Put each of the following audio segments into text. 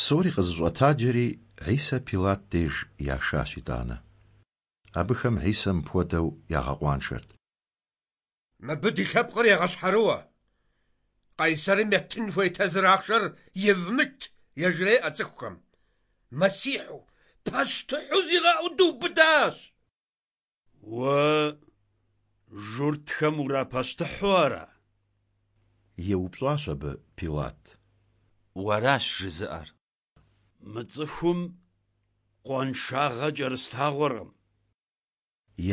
Псори къызэщӀэтаджэри, Хьисэ Пилат деж яшащ итӀанэ. Абыхэм Хьисэ мыпхуэдэу ягъэкъуаншэрт. Мыбы ди лъэпкъыр егъэщхьэрыуэ. Къайсэрым еттын хуей тэзыр ахъшэр евмыт, яжреӏэ цӏыхухэм. Мэссихьу, пащтыхьу зигъэӏуу дыубыдащ. Уэ журтхэм урапащтыхьу ара? Еупщӏащ абы Пилат. Уэращ жызыӏэр. Мы цӏыхум къуаншагъэ кӏэрыслъагъуэркъым.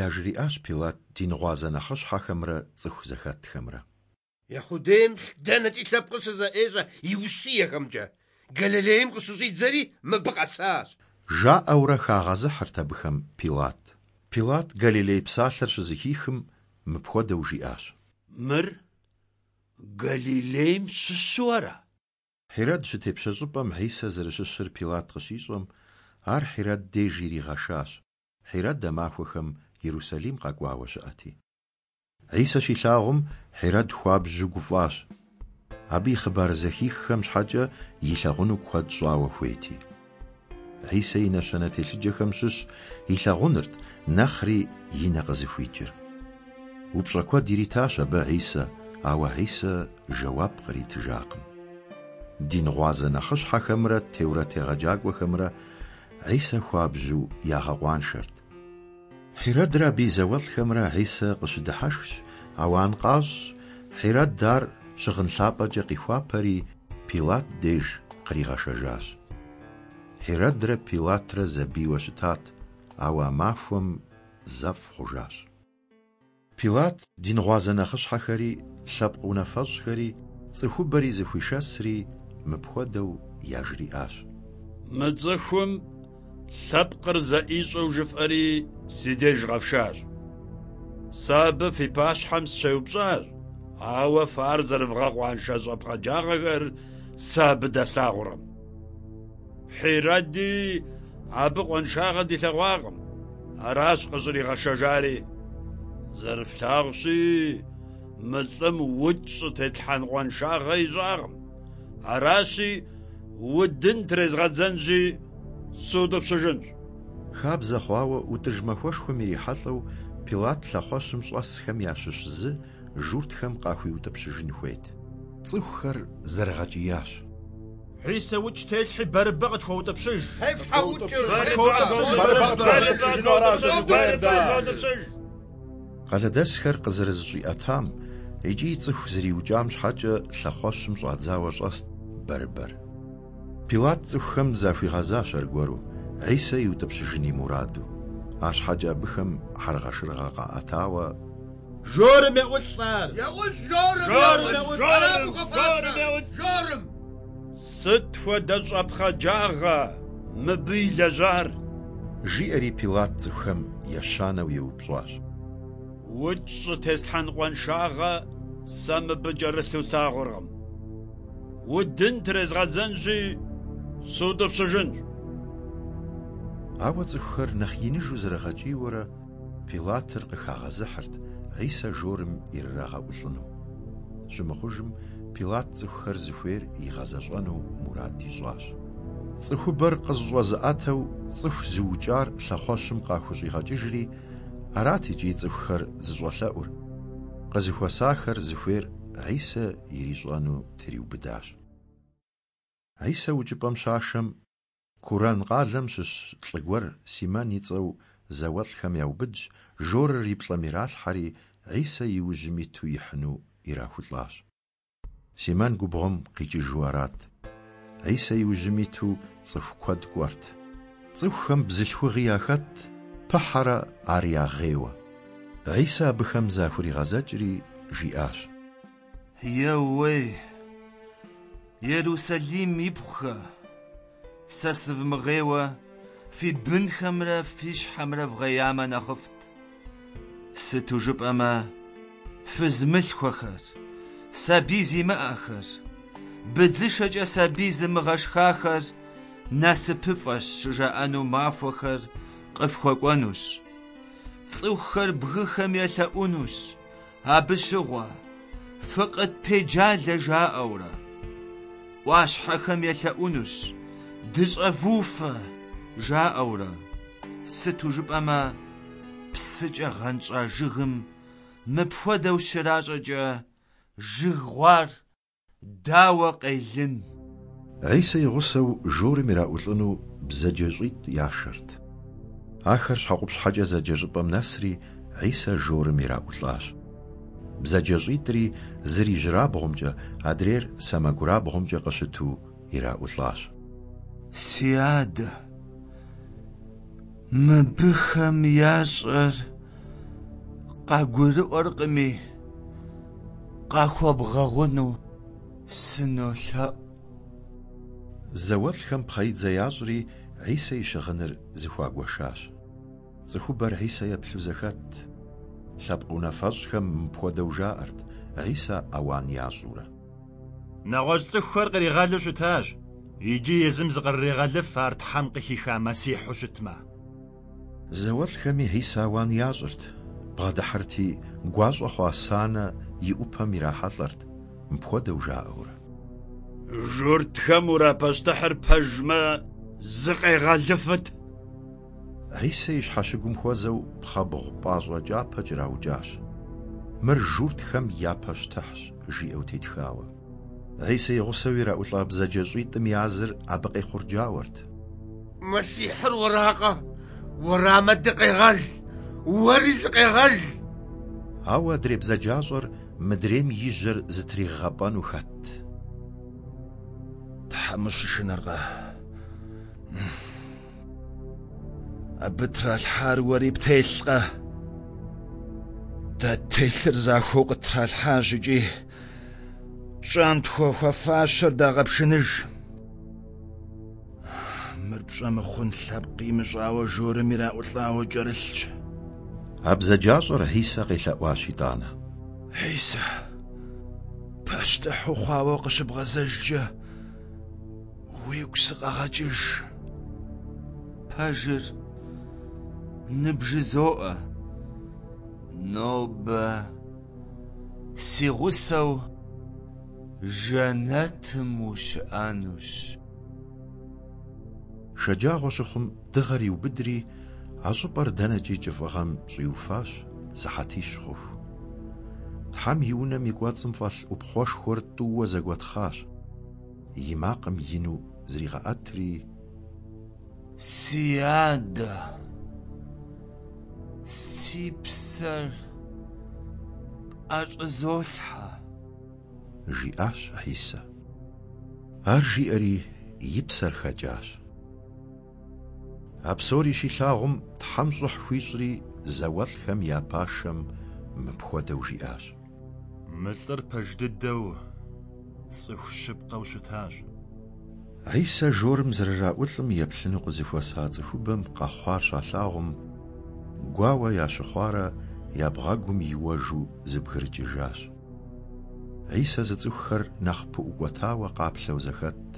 Яжриӏащ Пилат дингъуазэ нэхъыщхьэхэмрэ цӏыху зэхэтхэмрэ. Ехьудейм дэнэкӏи лъэпкъыр щызэӏещӏэ и ущиехэмкӏэ. Галилейм къыщыщӏидзэри мыбы къэсащ. Жаӏэурэ хагъэзыхьырт абыхэм Пилат. Пилат Галилей псалъэр щызэхихым, мыпхуэдэу жиӏащ. Мыр Галилейм щыщу ара? Хьирэд щытепщэ щӏыпӏэм Хьисэ зэрыщыщыр Пилат къыщищӏэм, ар Хьирэд деж иригъэшащ, Хьирэд а махуэхэм Ерусалим къэкӏуауэ щыӏэти. Хьисэ щилъагъум, Хьирэд хуабжьу гуфӏащ, абы и хъыбар зэхиххэм щхьэкӏэ илъагъуну куэд щӏауэ хуейти. Хьисэ и нэщэнэ телъыджэхэм щыщ илъагъунырт нэхъри и нэ къызыхуикӏыр. Упщӏэ куэд иритащ абы Хьисэ, ауэ Хьисэ жэуап къритыжакъым. Дин гъуазэ нэхъыщхьэхэмрэ теурэт егъэджакӏуэхэмрэ Хьисэ хуабжьу ягъэкъуаншэрт. Хьирэдрэ абы и зауэлӏхэмрэ Хьисэ къыщыдыхьэшхщ, ауан къащӏщ, Хьирэд ар щыгъын лъапӏэкӏэ къихуапэри, Пилат деж къригъэшэжащ. Хьирэдрэ Пилатрэ зэбийуэ щытат, ауэ а махуэм зэфӏ хъужащ. Пилат дин гъуазэ нэхъыщхьэхэри, лъэпкъ унафэщӏхэри, цӏыхубэри зэхуишэсри, мыпхуэдэу яжриӏащ. Мы цӏыхум лъэпкъыр зэӏищӏэу жыфӏэри си деж къэфшащ. Сэ абы фи пащхьэм сыщеупщӏащ, ауэ фэ ар зэрывгъэкъуаншэ щӏэпхъаджагъэхэр сэ абы дэслъагъуркъым. Хьирэди абы къуаншагъэ дилъэгъуакъым, аращ къыщӏригъэшэжари. Зэрыфлъагъущи, мы лӏым укӏ щӏытетлъхьэн къуаншагъэ ищӏакъым. Аращи, удын трезгъэдзэнщи, сутӏыпщыжынщ. Хабзэ хъуауэ, ӏутӏыж махуэшхуэм ирихьэлӏэу Пилат лъэхъуэщым щӏэсхэм ящыщ зы журтхэм къахуиутӏыпщыжын хуейт. Цӏыхухэр зэрыгъэкӏиящ. Хьисэ укӏ телъхьи, Бэрыбэ къытхуэутӏыпщыж! Тефлъхьэ укӏыр! Къалэдэсхэр къызэрызэщӏиӏэтам икӏи цӏыху зэриукӏам щхьэкӏэ лъэхъуэщым щӏадзауэ щӏэст Бэрыбэр. Пилат цӏыхухэм захуигъэзащ аргуэру, Хьисэ иутӏыпщыжын и мураду. Арщхьэкӏэ абыхэм хьэргъэшыргъэ къаӏэтауэ. Жорым еӏулӏ ар! Еӏулӏ жорым! Жорым! Ара абы хуэфащэр? Жорым! Сыт хуэдэ щӏэпхъаджагъэ мыбы илэжьар? Жиӏэри Пилат цӏыхухэм ещанэу еупщӏащ. Укӏ щӏытеслъхьэн къуаншагъэ сэ мыбы кӏэрылъу слъагъуркъым. Удын трезгъэдзэнщи, сутӏыпщыжынщ. Ауэ цӏыхухэр нэхъ иныжу зэрыгъэкӏийуэрэ, Пилатыр къыхагъэзыхьырт Хьисэ жорым ирырагъэӏулӏыну. Щымыхъужым, Пилат цӏыхухэр зыхуейр игъэзэщӏэну мурад ищӏащ. Цӏыхубэр къызэщӏэзыӏэтэу цӏыху зыукӏар лъэхъуэщым къахущӏигъэкӏыжри, арат икӏи цӏыхухэр зыщӏэлъэӏур. Къызэхуэсахэр зыхуейр Хьисэ ирищӏэну триубыдащ. Хьисэ укӏыпӏэм щашэм, Курэн къалэм щыщ лӏы гуэр Симэн и цӏэу зауэлӏхэм яубыдщ, жорыр и плӏэм иралъхьэри, Хьисэ и ужьым иту ихьыну ирахулӏащ. Симэн губгъуэм къикӏыжу арат. Хьисэ и ужьым иту цӏыху куэд кӏуэрт. Цӏыхухэм бзылъхугъи яхэтт, пыхьэрэ ар ягъейуэ. Хьисэ абыхэм захуригъэзэкӏри, жиӏащ. Еууей, Ерусалим ипхъухэ, сэ сывмыгъейуэ фи бынхэмрэ фи щхьэмрэ вгъеямэ нэхъыфӏт. Сыту жыпӏэмэ, фыз мылъхуэхэр, сабий зимыӏэхэр, быдзышэкӏэ сабий зымыгъэшхахэр насыпыфӏэщ щыжаӏэну махуэхэр къыфхуэкӏуэнущ. Цӏыхухэр бгыхэм елъэӏунущ абы щыгъуэ, фыкъыттеджалэ жаӏэурэ. ӏуащхьэхэм елъэӏунущ, Дыщӏэвуфэ! жаӏэурэ. Сыту жыпӏэмэ, псыкӏэ гъэнщӏа жыгым мыпхуэдэу щращӏэкӏэ, жыг гъуар дауэ къелын? Хьисэ и гъусэу жорым ираӏулӏыну бзаджэщӏитӏ яшэрт. Ахэр Щхьэкъупщхьэкӏэ зэджэ щӏыпӏэм нэсри, Хьисэ жорым ираӏулӏащ. Бзаджэщӏитӏри зыр ижьырабгъумкӏэ, адрейр сэмэгурабгъумкӏэ къыщыту ираӏулӏащ. Си адэ, мыбыхэм ящӏэр къагурыӏуэркъыми, къахуэбгъэгъуну сынолъэӏу. Зауэлӏхэм пхъэидзэ ящӏри, Хьисэ и щыгъыныр зыхуагуэшащ. Цӏыхубэр Хьисэ еплъу зэхэтт. Лъэпкъ унафэщӏхэм мыпхуэдэу жаӏэрт, Хьисэ ауан ящӏурэ. Нэгъуэщӏ цӏыхухэр къригъэлу щытащ, иджы езым зыкърырегъэлыф ар Тхьэм къыхиха Мэссихьу щытмэ. Зауэлӏхэми Хьисэ ауан ящӏырт, бгъэдыхьэрти, гуащӏэ хъуа санэ и ӏупэм ирахьэлӏэрт, мыпхуэдэу жаӏэурэ. Журтхэм урапащтыхьыр пэжмэ, зыкъегъэлыфыт! Хьисэ и щхьэщыгум хуэзэу пхъэбгъу пӏащӏэ кӏапэ кӏэраукӏащ. Мыр журтхэм я пащтыхьщ, жиӏэу тетхауэ. Хьисэ и гъусэу ираӏулӏа бзаджэщӏитӏым я зыр абы къехъурджауэрт. Мэссихьыр уэракъэ? Уэрамэ дыкъегъэл! Уэри зыкъегъэл! Ауэ адрей бзаджащӏэр мыдрейм и жьэр зытригъэпӏэну хэтт. Тхьэм ущышынэркъэ? Абы тралъхьар уэри птелъкъэ? Дэ ттелъыр захуэу къыттралъхьащ икӏи тщӏам тхуэфащэр дагъэпшыныж. Мыр пщӏэ мыхъун лъэпкъ имыщӏауэ жорым ираӏулӏауэ кӏэрылъщ. А бзаджащӏэр Хьисэ къелъэӏуащ итӏанэ. Хьисэ, пащтыхь ухъуауэ къыщыбгъэзэжкӏэ, уигу сыкъэгъэкӏыж. Пэжыр ныбжызоӏэ, нобэ си гъусэу жэнэтым ущыӏэнущ. Шэджагъуэ щыхъум дыгъэр иубыдри, а щӏыпӏэр дэнэкӏи кӏыфӏыгъэм щӏиуфащ сыхьэтищ хъуху. Тхьэм и унэм и кӏуэцӏым фӏэлъ ӏупхъуэшхуэр тӏууэ зэгуэтхъащ. И макъым ину зригъэӏэтри. Си адэ, си псэр пӏэщӏызолъхьэ. Жиӏащ Хьисэ. Ар жиӏэри, и псэр хэкӏащ. А псори щилъагъум, Тхьэм щӏыхь хуищӏри, зауэлӏхэм я пашэм мыпхуэдэу жиӏащ. Мы лӏыр пэж дыдэу цӏыху щыпкъэу щытащ. Хьисэ жорым зэрыраӏулӏым еплъыну къызэхуэса цӏыхубэм къэхъуар щалъагъум, гуауэ ящыхъуарэ я бгъэгум иуэжу зэбгрыкӏыжащ. Хьисэ зыцӏыхухэр нэхъ пыӏукӏуэтауэ къаплъэу зэхэтт.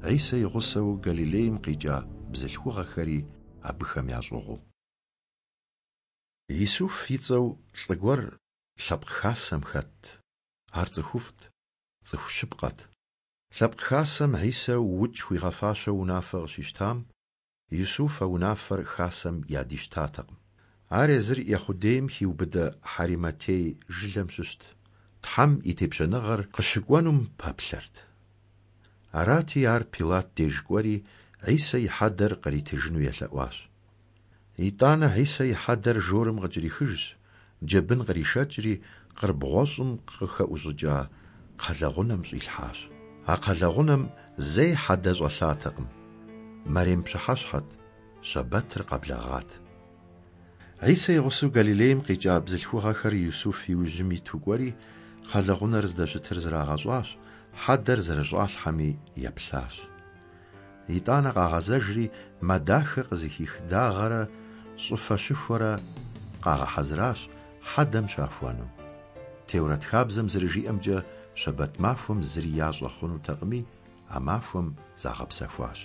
Хьисэ и гъусэу Галилейм къикӏа бзылъхугъэхэри абыхэм ящӏыгъуу. Исуф и цӏэу лӏы гуэр лъэпкъ хасэм хэтт. Ар цӏыхуфӏт, цӏыху щыпкъэт. Лъэпкъ хасэм Хьисэ укӏ хуигъэфащэу унафэ къыщищтам, Исуф а унафэр хасэм ядищтатэкъым. Ар езыр Ехъудейм хиубыдэ Хьэримэтей жылэм щыщт, Тхьэм и тепщэныгъэр къыщыкӏуэнум пэплъэрт. Арати, ар Пилат деж кӏуэри, Хьисэ и хьэдэр къритыжыну елъэӏуащ. Итӏанэ Хьисэ и хьэдэр жорым къыкӏэрихыжщ, джэбын къришэкӏри, къыр бгъуэщӏым къыхэӏущӏыкӏа кхъэлэгъунэм щӏилъхьащ. А кхъэлэгъунэм зэи хьэдэ щӏэлъатэкъым. Мэрем пщыхьэщхьэт, щэбэтыр къэблэгъат. Хьисэ и гъусэу Галилейм къикӏа бзылъхугъэхэр Исуф и ужьым иту кӏуэри, кхъэлэгъунэр здэщытыр зрагъэщӏащ, хьэдэр зэрыщӏалъхьэми еплъащ. Итӏанэ къагъэзэжри, мэ дахэ къызыхих дагъэрэ щӏыфэ щыхуэрэ къагъэхьэзыращ хьэдэм щахуэну. Теурэт хабзэм зэрыжиӏэмкӏэ, щэбэт махуэм зыри ящӏэ хъунутэкъыми, а махуэм загъэпсэхуащ.